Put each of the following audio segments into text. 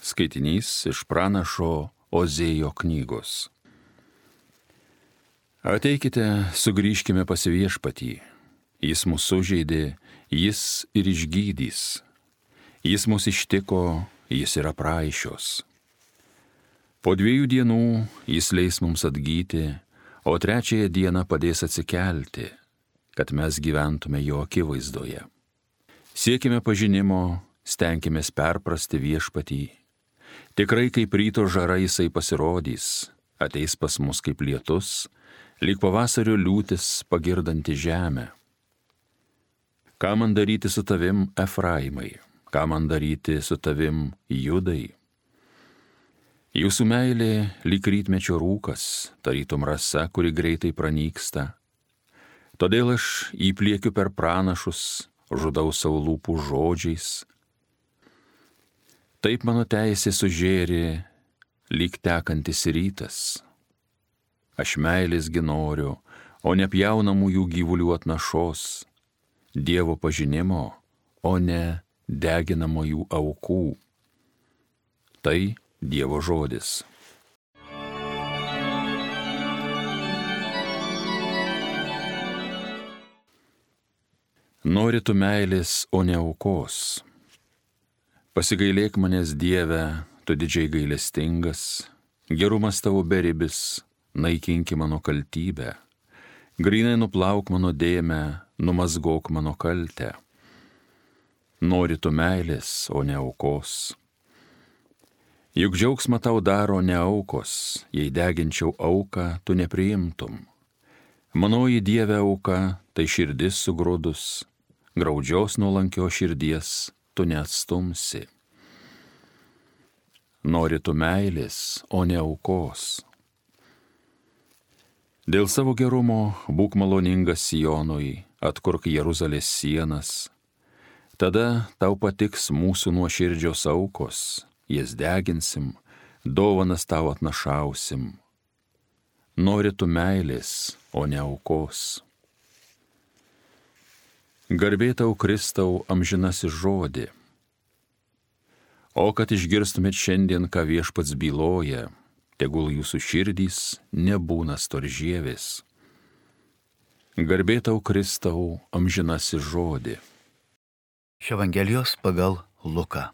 Skaitinys iš pranašo Ozėjo knygos. Ateikite, sugrįžkime pas Viešpatį. Jis mus sužeidė, jis ir išgydys. Jis mus ištiko, jis yra praaišios. Po 2 dienų jis leis mums atgyti, o 3 dieną padės atsikelti, kad mes gyventume jo akivaizdoje. Siekime pažinimo, stenkimės perprasti Viešpatį. Tikrai kaip ryto žara jisai pasirodys, ateis pas mus kaip lietus, lyg pavasario liūtis pagirdanti žemę. Ką man daryti su tavim, Efraimai? Ką man daryti su tavim, Judai? Jūsų meilė lyg rytmečio rūkas, tarytum rasa, kuri greitai pranyksta. Todėl aš įpliekiu per pranašus, žudau savo lūpų žodžiais. Taip mano teisė sužėrė, lyg tekantis rytas. Aš meilės noriu, o ne pjaunamųjų gyvulių atnašos, Dievo pažinimo, o ne deginamųjų aukų. Tai Dievo žodis. Nori tu meilės, o ne aukos. Pasigailėk manęs, Dieve, tu didžiai gailestingas, gerumas tavo beribis, naikinki mano kaltybę, grynai nuplauk mano dėmę, numazgok mano kaltę. Nori tu meilės, o ne aukos. Juk džiaugsmą tau daro ne aukos, jei deginčiau auką, tu nepriimtum. Manoji Dieve auka, tai širdis sugrūdus, graudžios nuolankio širdies tu neatstumsi. Nori tu meilės, o ne aukos. Dėl savo gerumo būk maloningas Sionui, atkurk Jeruzalės sienas. Tada tau patiks mūsų nuoširdžios aukos, jas deginsim, dovanas tau atnašausim. Nori tu meilės, o ne aukos. Garbė tau, Kristau, amžinasis žodį. O kad išgirstumėt šiandien, ką Viešpats byloja, tegul jūsų širdys nebūna storžievės. Garbė tau, Kristau, amžinasis žodį. Iš Evangelijos pagal Luką.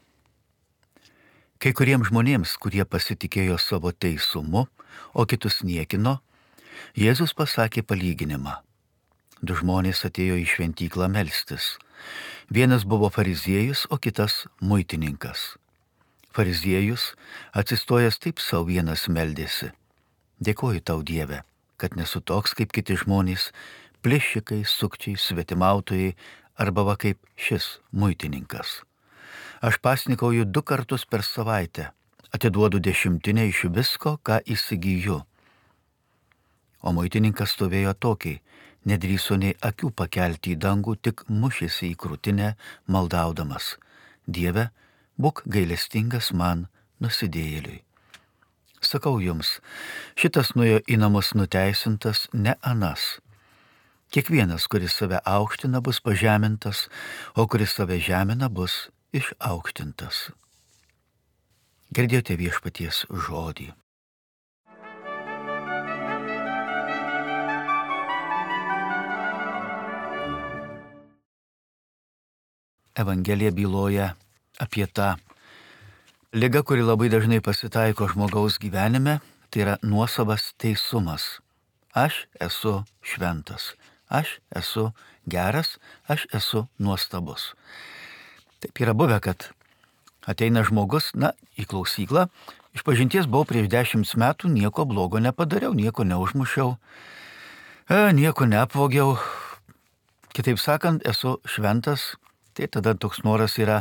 Kai kuriems žmonėms, kurie pasitikėjo savo teisumu, o kitus niekino, Jėzus pasakė palyginimą. 2 žmonės atėjo į šventyklą melstis. Vienas buvo fariziejus, o kitas muitininkas. Fariziejus, atsistojęs taip sau vienas meldėsi. Dėkoju tau, Dieve, kad nesu toks kaip kiti žmonės, plėšikai, sukčiai, svetimautojai, arba va kaip šis muitininkas. Aš pasnikauju 2 kartus per savaitę, atiduodu 10 iš visko, ką įsigyju. O muitininkas stovėjo tokiai, nedrįso nei akių pakelti į dangų, tik mušėsi į krūtinę, maldaudamas. Dieve, būk gailestingas man, nusidėjėliui. Sakau jums, šitas nuėjo į namus nuteisintas, ne anas. Kiekvienas, kuris save aukština, bus pažemintas, o kuris save žemina, bus išaukštintas. Girdėjote Viešpaties žodį. Evangelija byloja apie tą ligą, kuri labai dažnai pasitaiko žmogaus gyvenime, tai yra nuosavas teisumas. Aš esu šventas, aš esu geras, aš esu nuostabus. Taip yra buvę, kad ateina žmogus, į klausyklą, išpažinties buvau prieš 10 metų, nieko blogo nepadariau, nieko neužmušiau, nieko neapvogiau. Kitaip sakant, esu šventas. Tai tada toks noras yra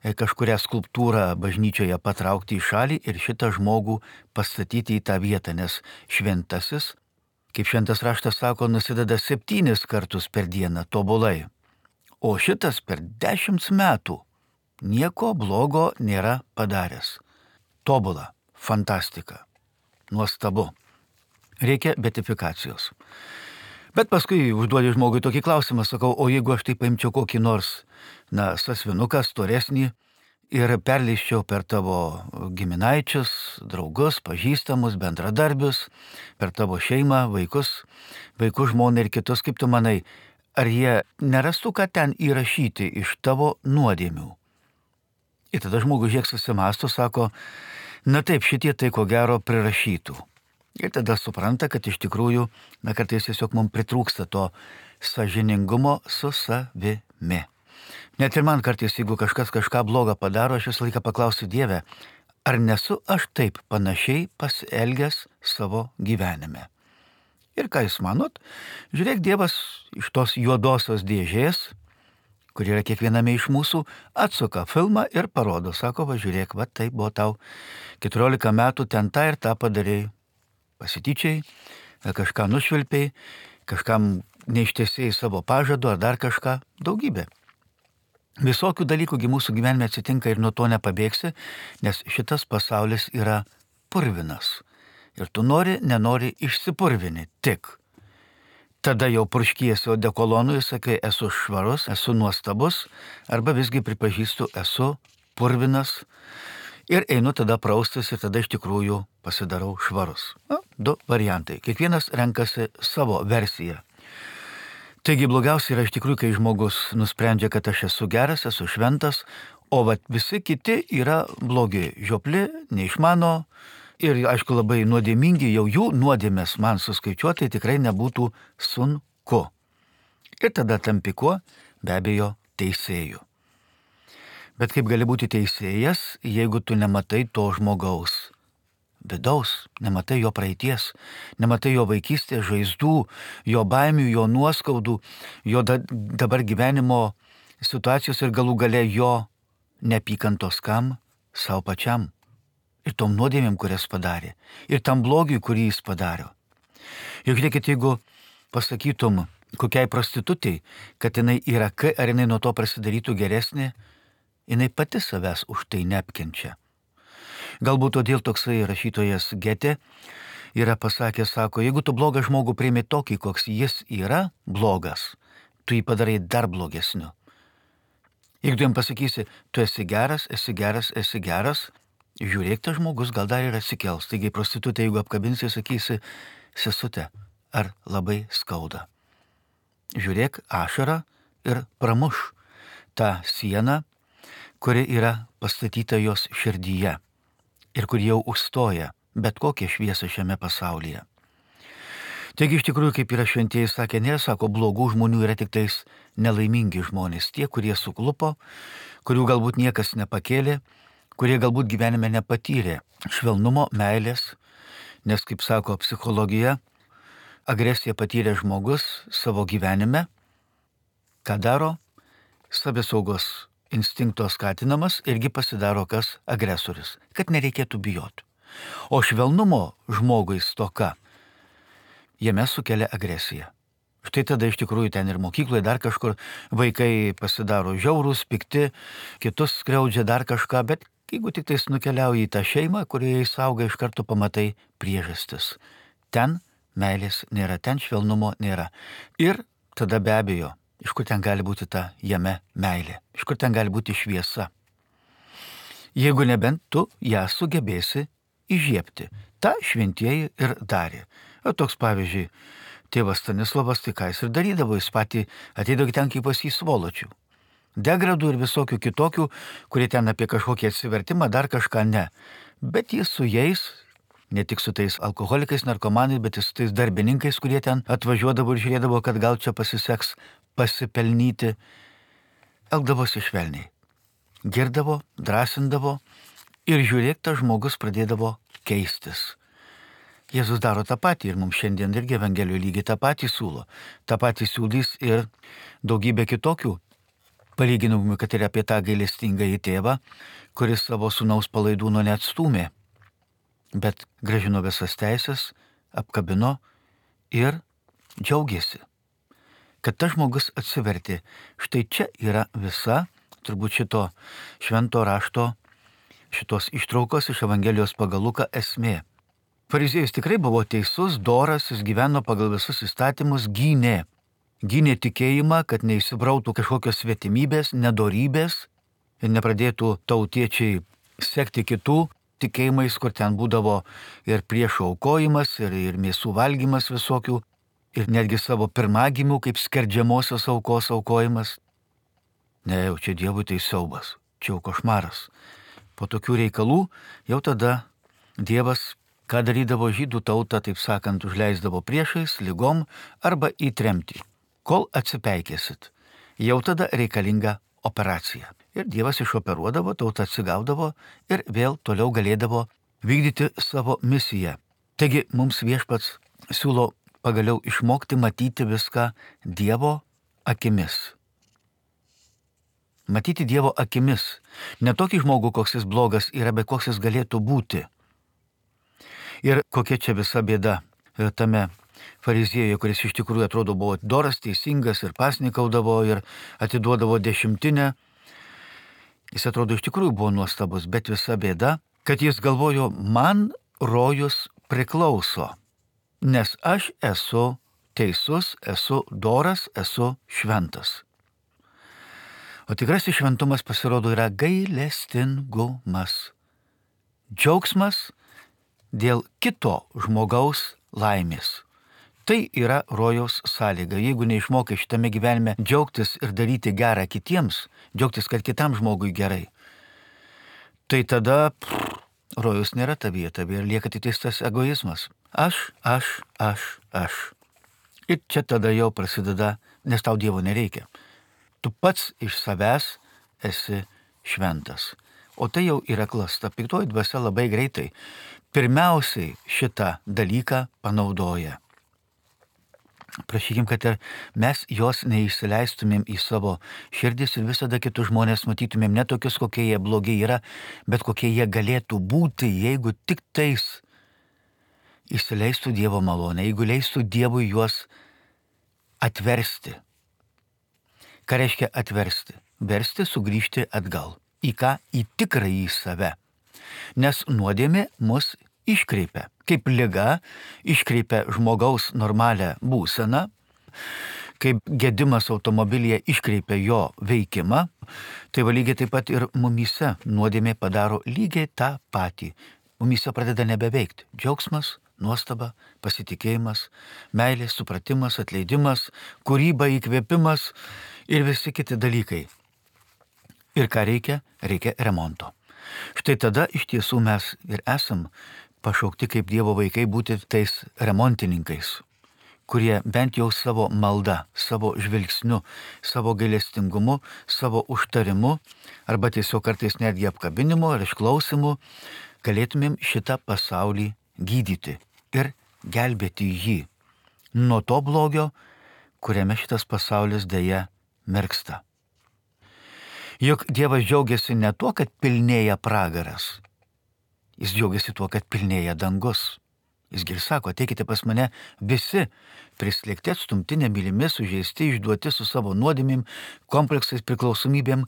kažkurią skulptūrą bažnyčioje patraukti į šalį ir šitą žmogų pastatyti į tą vietą, nes šventasis, kaip šventas raštas sako, nusideda 7 kartus per dieną tobulai. O šitas per 10 metų nieko blogo nėra padaręs. Tobula, fantastika, nuostabu. Reikia beatifikacijos. Bet paskui užduodi žmogui tokį klausimą, sakau, o jeigu aš tai paimčiau kokį nors, sąsvinuką, storesnį, ir perleiščiau per tavo giminaičius, draugus, pažįstamus, bendradarbius, per tavo šeimą, vaikų žmoną ir kitus, kaip tu manai, ar jie nerastų, ką ten įrašyti iš tavo nuodėmių? Ir tada žmogus žiek susimąsto, sako, na taip, šitie tai ko gero prirašytų. Ir tada supranta, kad iš tikrųjų, kartais tiesiog mums pritrūksta to sąžiningumo su savimi. Net ir man kartais, jeigu kažkas kažką blogą padaro, aš visą laiką paklausiu Dievę, ar nesu aš taip panašiai pasielgęs savo gyvenime. Ir ką jūs manot? Žiūrėk, Dievas iš tos juodosios dėžės, kur yra kiekviename iš mūsų, atsuka filmą ir parodo, sako, va žiūrėk, va tai buvo tau 14 metų, ten tą ir tą padarėjai. Pasityčiai, kažką nušvilpiai, kažkam neištesėjai savo pažadu ar dar kažką, daugybė. Visokių dalykųgi mūsų gyvenime atsitinka ir nuo to nepabėgsi, nes šitas pasaulis yra purvinas. Ir tu nenori išsipurvini tik. Tada jau purškiesi odekolonu ir sakai, esu švarus, esu nuostabus, arba visgi pripažįstu, esu purvinas. Ir einu tada praustis ir tada iš tikrųjų pasidarau švarus. 2 variantai. Kiekvienas renkasi savo versiją. Taigi blogiausia yra iš tikrųjų, kai žmogus nusprendžia, kad aš esu geras, esu šventas, o visi kiti yra blogi, žiopli, neišmano ir, aišku, labai nuodėmingi, jau jų nuodėmės man suskaičiuoti tikrai nebūtų sunku. Ir tada tampi kuo? Be abejo, teisėju. Bet kaip gali būti teisėjas, jeigu tu nematai to žmogaus vidaus, nematai jo praeities, nematai jo vaikystės žaizdų, jo baimių, jo nuoskaudų, jo dabar gyvenimo situacijos ir galų gale jo neapykantos kam? Savo pačiam. Ir tom nuodėmėm, kurias padarė. Ir tam blogiui, kurį jis padarė. Juk žiūrėkit, jeigu pasakytum kokiai prostitutei, kad jinai yra ar jinai nuo to prasidarytų geresnė, jinai pati savęs už tai neapkenčia. Galbūt todėl toksai rašytojas Getė yra pasakęs, sako, jeigu tu blogą žmogų priimi tokį, koks jis yra blogas, tu jį padarai dar blogesniu. Jeigu tu jam pasakysi, tu esi geras, žiūrėk, tas žmogus gal dar ir atsikels. Taigi prostitutė, jeigu apkabinsi, sakysi, sesute, ar labai skauda. Žiūrėk ašarą ir pramuš tą sieną, kuri yra pastatyta jos širdyje ir kur jau užstoja bet kokią šviesą šiame pasaulyje. Taigi iš tikrųjų, kaip yra šventieji sakė, sako, blogų žmonių yra tik tais nelaimingi žmonės, tie, kurie suklupo, kurių galbūt niekas nepakėlė, kurie galbūt gyvenime nepatyrė švelnumo, meilės, nes, kaip sako psichologija, agresiją patyrė žmogus savo gyvenime, ką daro? Savisaugos instinkto skatinamas irgi pasidaro kas agresorius, kad nereikėtų bijoti. O švelnumo žmogui stoka jame sukelia agresiją. Štai tada iš tikrųjų ten ir mokykloje dar kažkur vaikai pasidaro žiaurūs, pikti, kitus skriaudžia dar kažką, bet jeigu tik tais nukeliauji į tą šeimą, kurioje jis auga, iš karto pamatai priežastis. Ten meilės nėra, ten švelnumo nėra. Ir tada be abejo, iš kur ten gali būti ta jame meilė? Iš kur ten gali būti šviesa? Jeigu nebent tu ją sugebėsi įžiebti. Ta šventieji ir darė. O toks pavyzdžiui, tėvas Stanislavas, tai ką jis ir darydavo, jis patį ateidavo ten kaip pas jį svoločių. Degradų ir visokių kitokių, kurie ten apie kažkokį atsivertimą, dar kažką ne. Bet jis su jais, ne tik su tais alkoholikais, narkomanais, bet ir su tais darbininkais, kurie ten atvažiuodavo ir žiūrėdavo, kad gal čia pasiseks pasipelnyti, elgdavosi švelniai. Girdavo, drąsindavo ir žiūrėk, tas žmogus pradėdavo keistis. Jėzus daro tą patį ir mums šiandien irgi Evangelijoje lygiai tą patį siūlo. Ta patį siūlys ir daugybė kitokių palyginimų, kad ir apie tą gailestingąjį tėvą, kuris savo sūnaus palaidūno neatstūmė, bet grąžino visas teisės, apkabino ir džiaugiasi, kad tas žmogus atsivertė. Štai čia yra visa, turbūt šito švento rašto, šitos ištraukos iš Evangelijos pagal Luką esmė. Fariziejus tikrai buvo teisus, doras, jis gyveno pagal visus įstatymus, gynė tikėjimą, kad neįsibrautų kažkokios svetimybės, nedorybės. ir nepradėtų tautiečiai sekti kitų tikėjimais, kur ten būdavo ir priešų aukojimas, ir mėsų valgymas visokių, ir netgi savo pirmagimių kaip skerdžiamosios aukos aukojimas. Ne, jau čia Dievui tai siaubas, čia jau košmaras. Po tokių reikalų jau tada Dievas, ką darydavo žydų tautą, taip sakant, užleisdavo priešais, lygom arba į tremtį. Kol atsipeikėsit, jau tada reikalinga operacija. Ir Dievas išoperuodavo, tauta atsigaudavo ir vėl toliau galėdavo vykdyti savo misiją. Taigi mums Viešpats siūlo pagaliau išmokti matyti viską Dievo akimis. Matyti Dievo akimis. Ne tokį žmogų, koks jis blogas yra, bet koks jis galėtų būti. Ir kokia čia visa bėda tame fariziejuje, kuris iš tikrųjų atrodo buvo doras, teisingas ir pasnikaudavo ir atiduodavo dešimtinę. Jis atrodo iš tikrųjų buvo nuostabus, bet visa bėda, kad jis galvojo, man rojus priklauso, nes aš esu teisus, esu doras, esu šventas. O tikrasis šventumas pasirodo yra gailestingumas. Džiaugsmas dėl kito žmogaus laimės. Tai yra rojaus sąlyga. Jeigu neišmokai šitame gyvenime džiaugtis ir daryti gerą kitiems, džiaugtis, kad kitam žmogui gerai, tai tada rojus nėra tavyje ir lieka tik tas egoizmas. Aš. Ir čia tada jau prasideda, nes tau Dievo nereikia. Tu pats iš savęs esi šventas. O tai jau yra klasta. Piktoji dvasia labai greitai pirmiausiai šitą dalyką panaudoja. Prašykim, kad ir mes jos neįsileistumėm į savo širdis ir visada kitus žmonės matytumėm ne tokius, kokie jie blogi yra, bet kokie jie galėtų būti, jeigu tik tais įsileistų Dievo malonę, jeigu leistų Dievui juos atversti. Ką reiškia atversti? Versti sugrįžti atgal. Į ką? Į tikrąjį save. Nes nuodėmė mus iškreipia. Kaip liga iškreipia žmogaus normalią būseną, kaip gedimas automobilyje iškreipia jo veikimą, tai lygiai taip pat ir mumyse nuodėmė padaro lygiai tą patį. Mumyse pradeda nebeveikti. Džiaugsmas, nuostaba, pasitikėjimas, meilė, supratimas, atleidimas, kūryba, įkvėpimas ir visi kiti dalykai. Ir ką reikia? Reikia remonto. Štai tada iš tiesų mes ir esam pašaukti kaip Dievo vaikai būti tais remontininkais, kurie bent jau savo malda, savo žvilgsniu, savo gailestingumu, savo užtarimu arba tiesiog kartais netgi apkabinimu ar išklausimu galėtumėm šitą pasaulį gydyti ir gelbėti jį nuo to blogio, kuriame šitas pasaulis deja mirksta. Juk Dievas džiaugiasi ne tuo, kad pilnėja pragaras. Jis džiaugiasi tuo, kad pilnėja dangus. Jisgi ir sako, ateikite pas mane visi, prislėgti, atstumti, nemylimi, sužeisti, išduoti su savo nuodėmėm, kompleksais, priklausomybėm.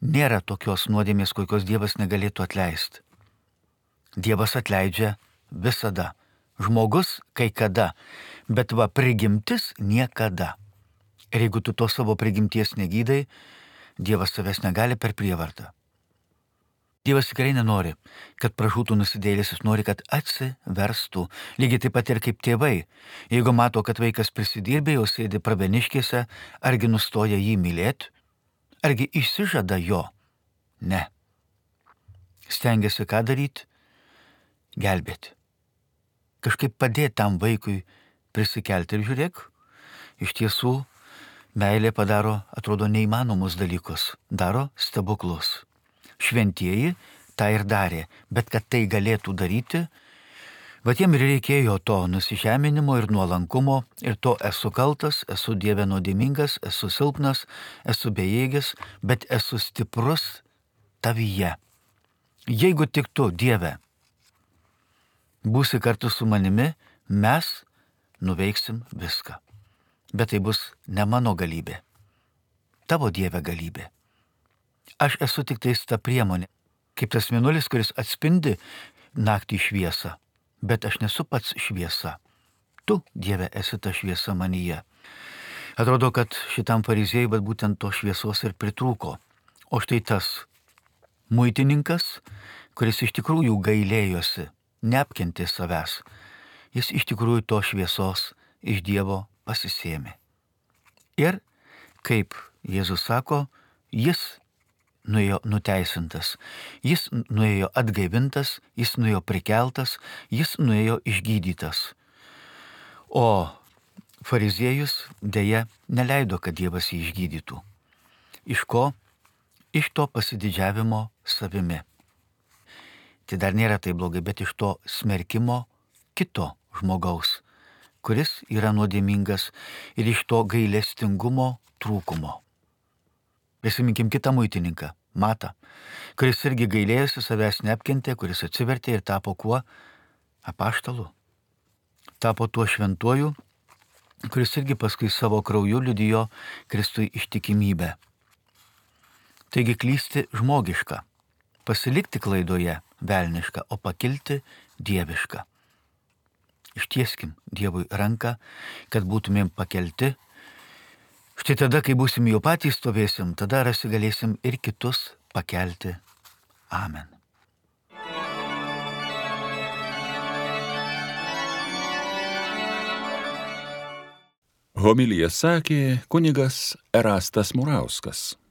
Nėra tokios nuodėmės, kokios Dievas negalėtų atleisti. Dievas atleidžia visada. Žmogus kai kada, bet prigimtis niekada. Ir jeigu tu to savo prigimties negydai, Dievas savęs negali per prievartą. Dievas tikrai nenori, kad pražūtų nusidėjėlis, jis nori, kad atsiverstų. Lygiai taip pat ir kaip tėvai. Jeigu mato, kad vaikas prisidirbė, jau sėdi praveniškėse, argi nustoja jį mylėti, argi išsižada jo? Ne. Stengiasi ką daryti? Gelbėti. Kažkaip padėti tam vaikui prisikelti ir žiūrėk, iš tiesų meilė padaro, atrodo, neįmanomus dalykus, daro stebuklus. Šventieji tą ir darė, bet kad tai galėtų daryti, jiem ir reikėjo to nusižeminimo ir nuolankumo, ir to esu kaltas, esu Dieve nuodėmingas, esu silpnas, esu bejėgis, bet esu stiprus tavyje. Jeigu tik tu, Dieve, būsi kartu su manimi, mes nuveiksim viską. Bet tai bus ne mano galybė, tavo Dieve galybė. Aš esu tik tais ta priemonė, kaip tas mėnulis, kuris atspindi naktį šviesą, bet aš nesu pats šviesa. Tu, Dieve, esi ta šviesa manyje. Atrodo, kad šitam fariziejui būtent to šviesos ir pritrūko. O štai tas muitininkas, kuris iš tikrųjų gailėjosi, neapkentė savęs, jis iš tikrųjų to šviesos iš Dievo pasisėmė. Ir, kaip Jėzus sako, jis nuėjo nuteisintas, jis nuėjo atgaivintas, jis nuėjo prikeltas, jis nuėjo išgydytas. O fariziejus dėja neleido, kad Dievas jį išgydytų. Iš ko? Iš to pasididžiavimo savimi. Tai dar nėra taip blogai, bet iš to smerkimo kito žmogaus, kuris yra nuodėmingas, ir iš to gailestingumo trūkumo. Prisiminkim kitą muitininką, Matą, kuris irgi gailėjosi, savęs neapkentė, kuris atsivertė ir tapo kuo? Apaštalu. Tapo tuo šventuoju, kuris irgi paskui savo krauju liudijo Kristui ištikimybę. Taigi klysti žmogiška, pasilikti klaidoje velniška, o pakilti dieviška. Ištieskim Dievui ranką, kad būtumėm pakelti. Štai tada, kai būsim jau patys stovėsim, tada galėsim ir kitus pakelti. Amen. Homiliją sakė kunigas Erastas Murauskas.